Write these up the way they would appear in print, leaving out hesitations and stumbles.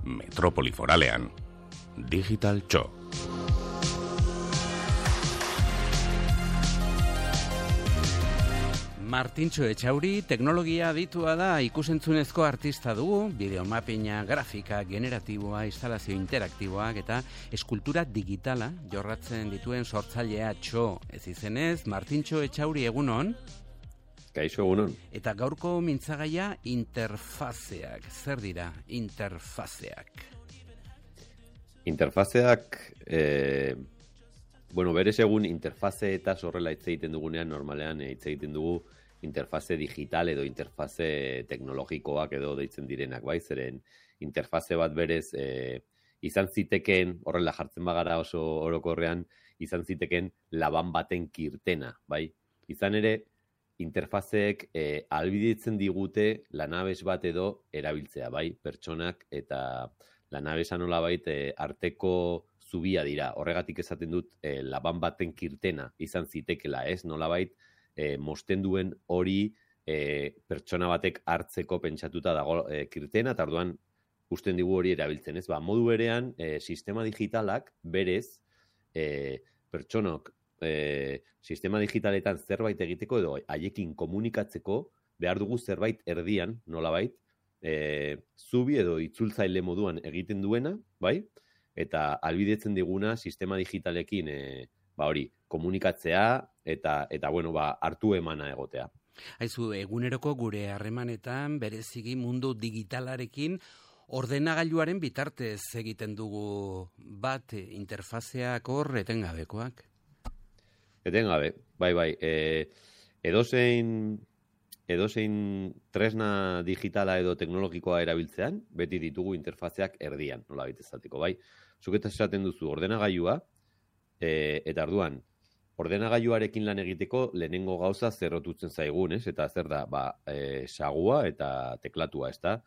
Metropoli Foralean, Digital Txo. Martintxo Etxauri teknologia aditua da, ikusentzunezko artista dugu, bideomapina, grafika, generatiboa, instalazio interaktiboak eta eskultura digitala jorratzen dituen sortzailea Txo. Ez izenez, Martintxo Etxauri egunon? Kaixo egunon. Eta gaurko mintzagaia interfazeak. Zer dira interfazeak? Interfazeak, berez egun interfaze eta horrela hitz egiten dugunean, normalean hitz egiten dugu interfaze digital edo interfaze teknologikoak edo deitzen direnak, bai? Zeren interfaze bat berez izan zitekeen, horrela jartzen bagara oso orokorrean, izan zitekeen laban baten kirtena, bai? Izan ere, interfazeek ahalbidetzen digute lanabes bat edo erabiltzea, bai? Pertsonak eta lanabesa nolabait arteko zubia dira. Horregatik esaten dut laban baten kirtena izan zitekela, ez? Nolabait mosten duen hori pertsona batek hartzeko pentsatuta dago kirtena, eta orduan usten digu hori erabiltzen, ez? Modu berean, sistema digitalak berez pertsonok sistema digitaletan zerbait egiteko edo haiekin komunikatzeko behar dugu zerbait erdian, nolabait, zubi edo itzultzaile moduan egiten duena, bai? Eta ahalbidetzen diguna sistema digitalekin hori komunikatzea eta hartu emana egotea. Haizu, eguneroko gure harremanetan bereziki mundu digitalarekin ordenagailuaren bitartez egiten dugu bat interfazeak hor etengabekoak. Etengabe, bai. Edozein tresna digitala edo teknologikoa erabiltzean, beti ditugu interfazeak erdian, nolabait esateko, bai. Zuk eta esaten duzu ordenagailua, eta orduan, ordenagailuarekin lan egiteko lehenengo gauza zerrotutzen zaigun, ez? Eta zer da, sagua eta teklatua, ez da?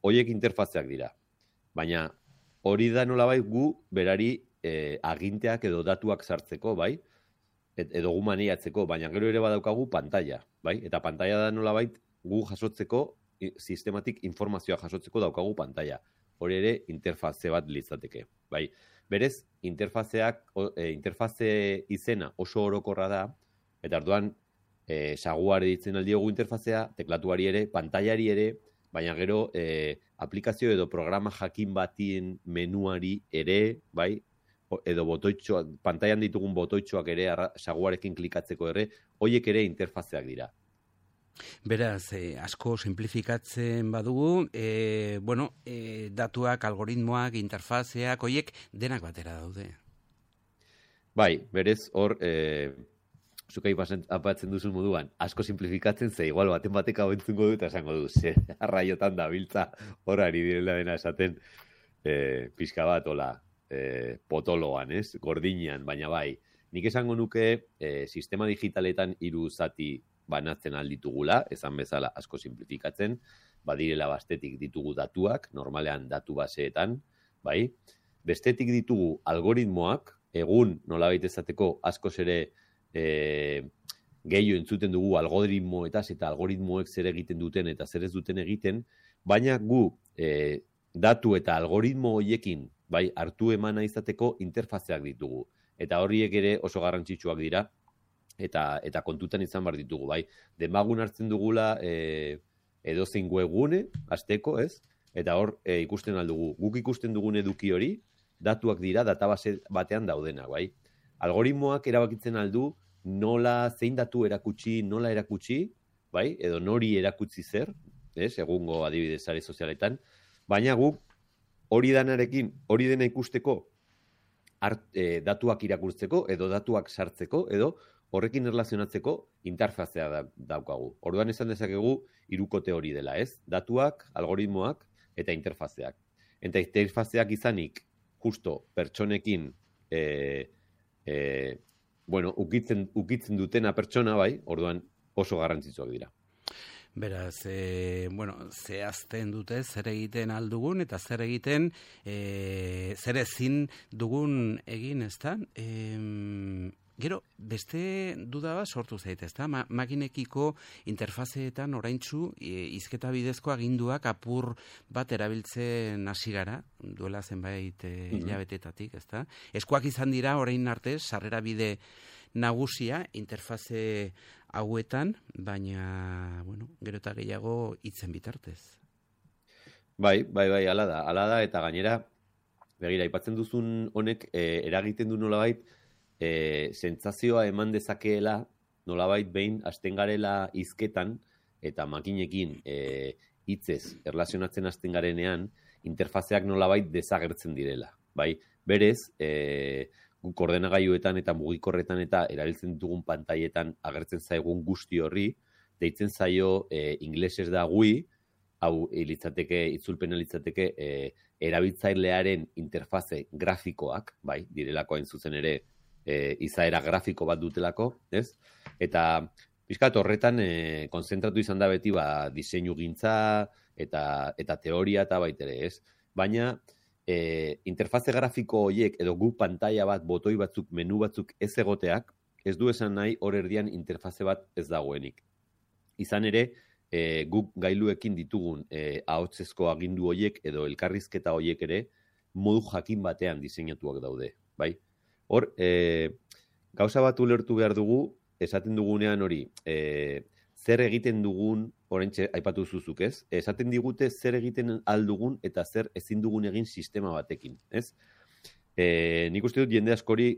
Horiek interfazeak dira. Baina hori da nolabait gu berari aginteak edo datuak sartzeko, bai? Edo gu maniatzeko, baina gero ere badaukagu pantalla, bai? Eta pantalla da nolabait gu jasotzeko, sistematik informazioa jasotzeko daukagu pantalla. Hori ere interfaze bat litzateke, bai? Berez, interfaze izena oso orokorra da, eta orduan saguari ditzen aldiogu interfazea, teklatuari ere, pantaiari ere, baina gero aplikazio edo programa jakin batien menuari ere, bai? Edo botoitxoak, pantailan ditugun botoitxoak ere, saguarekin klikatzeko ere, horiek ere interfazeak dira. Beraz, asko simplifikatzen badugu, datuak, algoritmoak, interfazeak, horiek denak batera daude. Bai, berez hor, zuka apatzen duzun moduan, asko simplifikatzen ze, igual baten batek hau entzungo du eta esango du, arraiotan da biltza hor ari direla dena esaten pixka bat, potoloan, ez? Gordinean, baina bai. Nik esango nuke sistema digitaletan 3 zati banatzen alditugula, esan bezala asko simplifikatzen, badirela bastetik ditugu datuak, normalean datu baseetan, bai? Bestetik ditugu algoritmoak, egun nolabait esateko askoz ere gehiago entzuten dugu algoritmoetaz eta algoritmoek zer egiten duten eta zer ez duten egiten, baina gu datu eta algoritmo horiekin bai, hartu emana izateko interfazeak ditugu. Eta horiek ere oso garrantzitsuak dira, eta kontutan izan behar ditugu, bai. Demagun hartzen dugula edozein webgune, hasteko, ez? Eta hor ikusten aldugu. Guk ikusten dugun eduki hori, datuak dira, database batean daudenak, bai. Algoritmoak erabakitzen aldu, zein datu erakutsi, nola erakutsi, bai? Edo nori erakutsi zer, ez? Egungo adibidez sare sozialetan. Baina guk hori dena ikusteko, datuak irakurtzeko, edo datuak sartzeko, edo horrekin erlazionatzeko interfazea daukagu. Orduan esan dezakegu 3 hori dela, ez? Datuak, algoritmoak eta interfazeak. Eta interfazeak izanik, justo pertsonekin, ukitzen dutena pertsona, bai, orduan oso garrantzitsuak dira. Beraz, zehazten dute zer egiten aldugun eta zer egiten, zer ezin dugun egin, ezta? Gero, beste duda bat sortu zaite, ezta? Makinekiko interfazeetan oraintzu hizketa bidezko aginduak apur bat erabiltzen hasi gara, duela zenbait hilabetetatik, ezta? Eskuak izan dira orain arte sarrera bide nagusia interfaze hauetan, baina, bueno, gero eta gehiago hitzen bitartez. Bai, hala da, eta gainera, begira, aipatzen duzun honek, eragiten du nolabait, sentsazioa eman dezakeela, nolabait behin hasten garela hizketan, eta makinekin hitzez erlazionatzen hasten garenean, interfazeak nolabait desagertzen direla. Bai, berez, guk ordenagailuetan eta mugikorretan eta erabiltzen dugun pantailetan agertzen zaigun guzti horri, deitzen zaio inglesez da GUI, hau itzulpena litzateke erabiltzailearen interfaze grafikoak, bai, direlako hain zuzen ere izaera grafiko bat dutelako, ez? Eta pixkat horretan konzentratu izan da beti diseinugintza eta teoria eta baitere, ez? Baina interfaze grafiko horiek edo gu pantaila bat, botoi batzuk, menu batzuk ez egoteak, ez du esan nahi hor erdian interfaze bat ez dagoenik. Izan ere, guk gailuekin ditugun ahotsezko agindu horiek edo elkarrizketa horiek ere modu jakin batean diseinatuak daude, bai? Hor, gauza bat ulertu behar dugu, esaten dugunean hori, zer egiten dugun, oraintxe aipatu zuzuk, ez? Esaten digute zer egiten aldugun eta zer ezin dugun egin sistema batekin, ez? Nik uste dut jende askori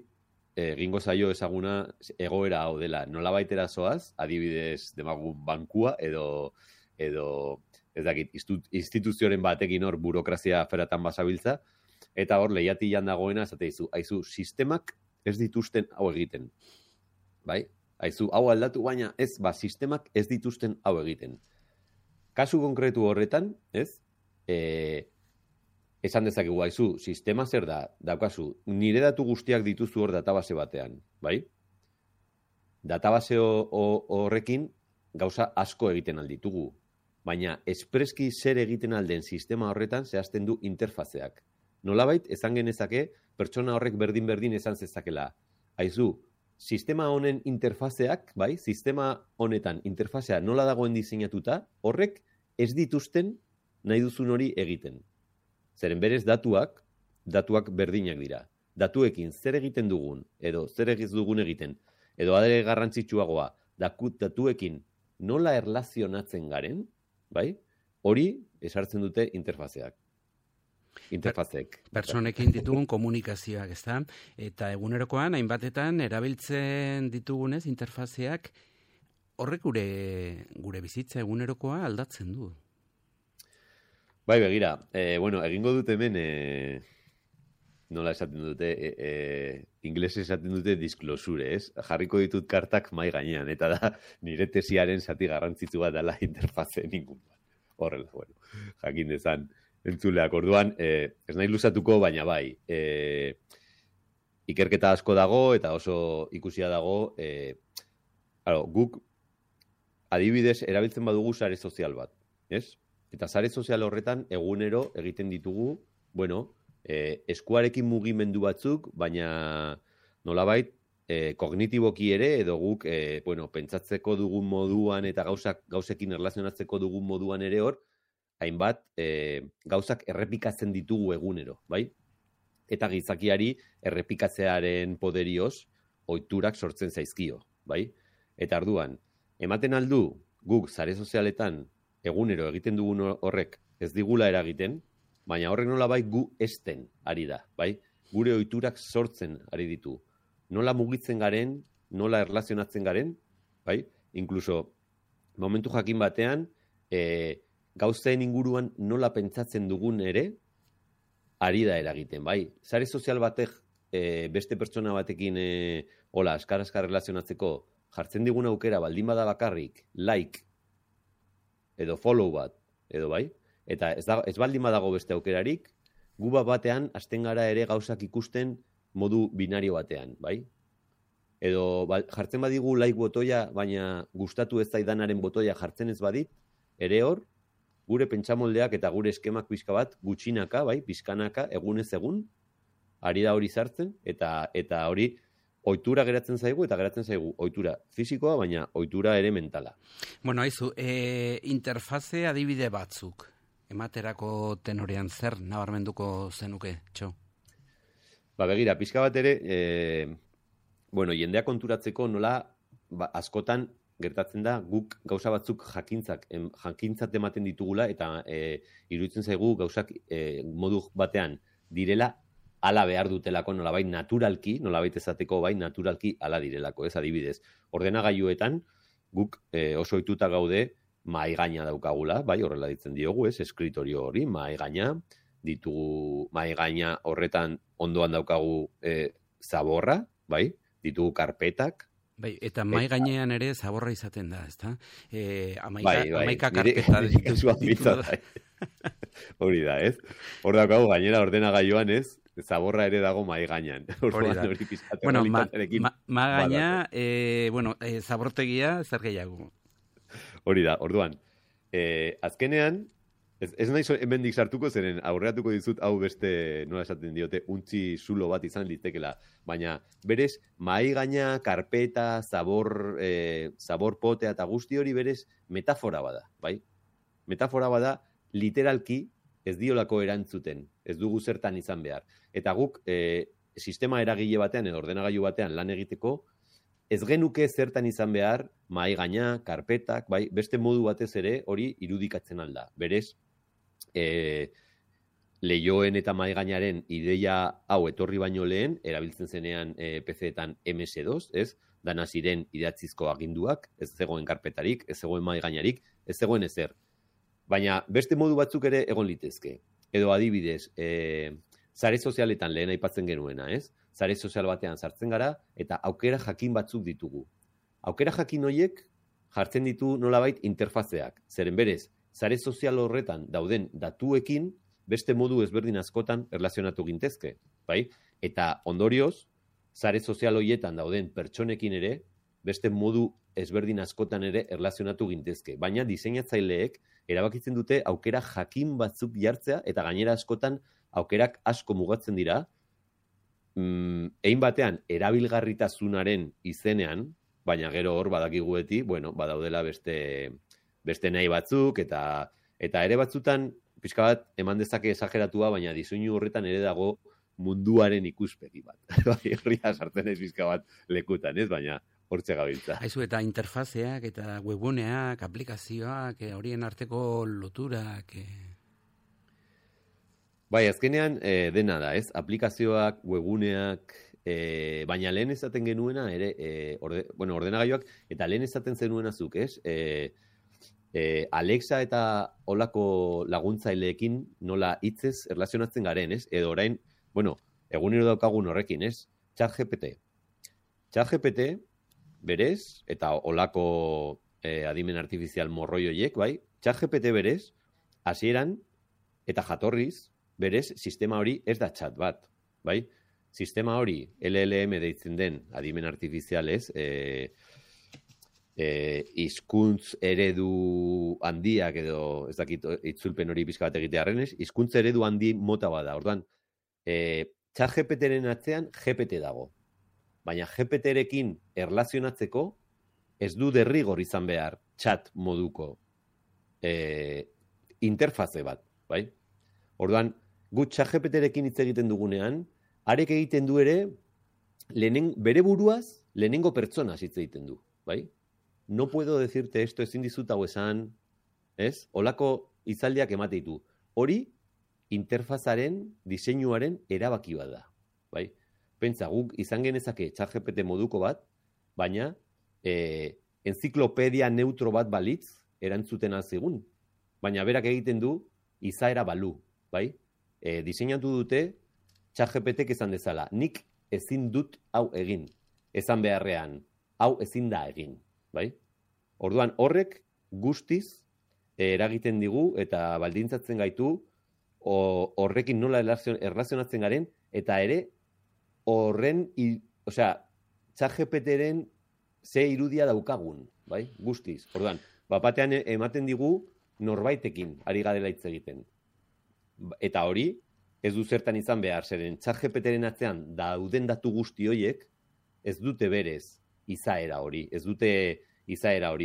egingo zaio ezaguna egoera hau dela. Nolabait erazoaz, adibidez demagun bankua edo ez dakit, instituzioaren batekin hor burokrazia aferatan basabiltza, eta hor lehiatilan dagoena esate dizu, aizu, sistemak ez dituzten hau egiten. Bai? Aizu, hau aldatu, baina ez, sistemak ez dituzten hau egiten. Kasu konkretu horretan, ez? Esan dezakegu, aizu, sistema zer da, daukazu, nire datu guztiak dituzu hor database batean, bai? Database horrekin gauza asko egiten alditugu, baina espreski zer egiten alden sistema horretan zehazten du interfazeak. Nolabait, esan genezake, pertsona horrek berdin esan zezakela. Aizu, sistema honen interfazeak, bai, sistema honetan interfazea nola dagoen diseinatuta, horrek ez dituzten nahi duzun hori egiten. Zeren berez datuak berdinak dira. Datuekin zer egiten dugun, edo zer egiz dugun egiten, edo adere garrantzitsuagoa, datuekin nola erlazionatzen garen, bai, hori esartzen dute interfazeak. Interfazeek. Personekin ditugun komunikazioak, ezta? Eta egunerokoan, hainbatetan, erabiltzen ditugunez interfazeak, horrek gure bizitza egunerokoa aldatzen du. Bai, begira, egingo dut hemen, nola esaten dute, inglesez esaten dute disclosure, ez? Jarriko ditut kartak mai gainean, eta da nire tesiaren zati garrantzitsu bat dela interfaze ningun bat. Horrela, jakin dezan entzuleak. Orduan, ez nahi luzatuko, baina bai, ikerketa asko dago, eta oso ikusia dago, guk adibidez erabiltzen badugu sare sozial bat, ez? Eta sare sozial horretan egunero egiten ditugu, eskuarekin mugimendu batzuk, baina nolabait kognitiboki ere, edo guk pentsatzeko dugun moduan eta gauzekin erlazionatzeko dugun moduan ere hor, hainbat gauzak errepikatzen ditugu egunero, bai? Eta gizakiari errepikatzearen poderioz ohiturak sortzen zaizkio, bai? Eta orduan, ematen aldu guk sare sozialetan egunero egiten dugun horrek ez digula eragiten, baina horrek nolabait gu esten ari da, bai? Gure ohiturak sortzen ari ditu. Nola mugitzen garen, nola erlazionatzen garen, bai? Inkluso, momentu jakin batean, gauzen inguruan nola pentsatzen dugun ere, ari da eragiten, bai? Sare sozial batek beste pertsona batekin askar erlazionatzeko jartzen digun aukera baldin bada bakarrik, like, edo follow bat, edo bai? Eta ez baldin badago beste aukerarik, gu batean hasten gara ere gauzak ikusten modu binario batean, bai? Edo jartzen badigu like botoia, baina gustatu ez zaidanaren botoia jartzen ez badit, ere hor, gure pentsamoldeak eta gure eskemak pixka bat gutxinaka, bai, pixkanaka, egunez egun, ari da hori sartzen, eta hori ohitura geratzen zaigu ohitura fisikoa, baina ohitura ere mentala. Bueno, haizu, interfaze adibide batzuk, ematerako tenorean zer nabarmenduko zenuke, Txo? Begira, pixka bat ere, jendea konturatzeko nola askotan gertatzen da guk gauza batzuk jakintzat ematen ditugula eta iruditzen zaigu gauzak modu batean direla ala behar dutelako nolabait naturalki, nolabait esateko bai naturalki ala direlako, ez adibidez. Ordenagailuetan guk oso ohituta gaude mahai gaina daukagula, bai horrela ditzen diogu, ez eskritorio hori, mahai gaina, ditugu mahai gaina horretan ondoan daukagu zaborra, bai, ditugu karpetak. Bai, eta mahai gainean ere zaborra izaten da, ezta? Amaika karpeta ditu. Hori da, ez? Hor daukagu gainera ordenagailuan, ez? Zaborra ere dago mahai gainean. Bueno, mahai gaina, zabortegia zer gehiago. Hori da, orduan. Azkenean, ez nahi hemendik sartuko zeren aurreatuko dizut hau beste, nola esaten diote, untzi zulo bat izan litekela. Baina, berez, mahai gaina, karpeta, zabor potea eta guzti hori berez metafora bada, bai? Metafora bada, literalki ez diolako erantzuten, ez dugu zertan izan behar. Eta guk sistema eragile batean edo ordenagailu batean lan egiteko, ez genuke zertan izan behar mahai gaina, karpetak, bai, beste modu batez ere hori irudikatzen alda. Berez, lehioen eta mahai gainaren ideia hau etorri baino lehen, erabiltzen zenean PC-etan MS2, ez? Dana ziren idatzizko aginduak, ez zegoen karpetarik, ez zegoen mahai gainarik, ez zegoen ezer. Baina beste modu batzuk ere egon litezke. Edo adibidez, sare sozialetan lehen aipatzen genuena, ez? Sare sozial batean sartzen gara eta aukera jakin batzuk ditugu. Aukera jakin horiek jartzen ditu nolabait interfazeak. Zeren berez, sare sozial horretan dauden datuekin beste modu ezberdin askotan erlazionatu gintezke, bai? Eta ondorioz, sare sozial horietan dauden pertsonekin ere beste modu ezberdin askotan ere erlazionatu gintezke. Baina diseinatzaileek erabakitzen dute aukera jakin batzuk jartzea eta gainera askotan aukerak asko mugatzen dira, egin batean erabilgarritasunaren izenean, baina gero hor badakigu beti, badaudela beste nahi batzuk eta ere batzutan pixka bat eman dezake esageratua, baina diseinu horretan ere dago munduaren ikuspegi bat. Horria sartzen ez pixka bat lekutan, ez? Baina hortze gabiltza. Haizu, eta interfazeak, eta webuneak, aplikazioak, horien arteko loturak... Bai, azkenean dena da, ez? Aplikazioak, webuneak, baina lehen esaten genuena, ere, ordenagailuak, eta lehen esaten zenuena zuk, ez? Alexa eta olako laguntzaileekin nola hitzez erlazionatzen garen, ez? Edo orain, egunero daukagun horrekin, ez? ChatGPT. ChatGPT, berez, eta olako adimen artifizial morroi horiek, bai? ChatGPT berez, hasieran eta jatorriz, berez, sistema hori ez da chat bat, bai? Sistema hori, LLM deitzen den adimen artifizialez, hizkuntz eredu handiak edo, ez dakit itzulpen hori pixka bat egitearrenez, hizkuntz eredu handi mota bada. Orduan, ChatGPT-ren atzean GPT dago. Baina GPT-rekin erlazionatzeko ez du derrigor izan behar chat moduko interfaze bat, bai? Orduan, gu ChatGPT-rekin hitz egiten dugunean, arek egiten du ere bere buruaz lehenengo pertsonaz hitz egiten du, bai? No puedo decirte esto, ezin dizut hau esan, ez? Olako hitzaldiak emate ditu. Hori interfazaren, diseinuaren erabaki bat da, bai? Pentsa, guk izan genezake ChatGPT moduko bat, baina enziklopedia neutro bat balitz erantzuten alzigun. Baina berak egiten du izaera balu, bai? Diseinatu dute ChatGPTek esan dezala, nik ezin dut hau egin, esan beharrean, hau ezin da egin, bai? Orduan horrek guztiz eragiten digu eta baldintzatzen gaitu horrekin nola erlazionatzen garen, eta ere horren, ChatGPT-ren ze irudia daukagun, bai? Guztiz. Orduan, bapatean ematen digu norbaitekin ari garela hitz egiten. Eta hori, ez du zertan izan behar, zeren ChatGPT-ren atzean dauden datu guzti horiek, ez dute berez izaera hori,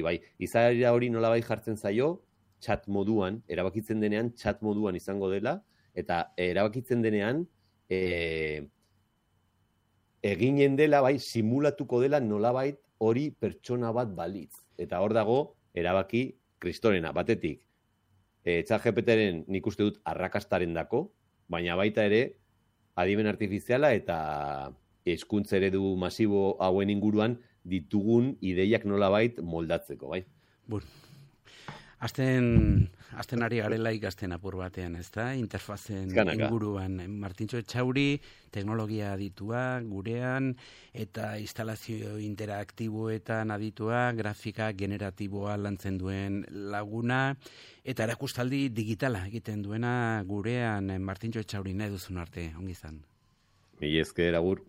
bai. Izaera hori nolabait jartzen zaio, chat moduan, erabakitzen denean chat moduan izango dela, eta erabakitzen denean eginen dela, bai, simulatuko dela nolabait hori pertsona bat balitz. Eta hor dago, erabaki kristorena, batetik, ChatGPTren nik uste dut arrakastaren dako, baina baita ere, adimen artifiziala eta hezkuntza eredu masibo hauen inguruan ditugun ideiak nolabait moldatzeko, bai? Bun. Azten ari garela ikasten apur batean, ez da? Interfazen inguruan. Martintxo Etxauri, teknologia aditua, gurean, eta instalazio interaktiboetan aditua, grafika generatiboa lantzen duen laguna, eta erakustaldi digitala egiten duena gurean Martintxo Etxauri nahi duzun arte, ongi izan. Mila esker, agur.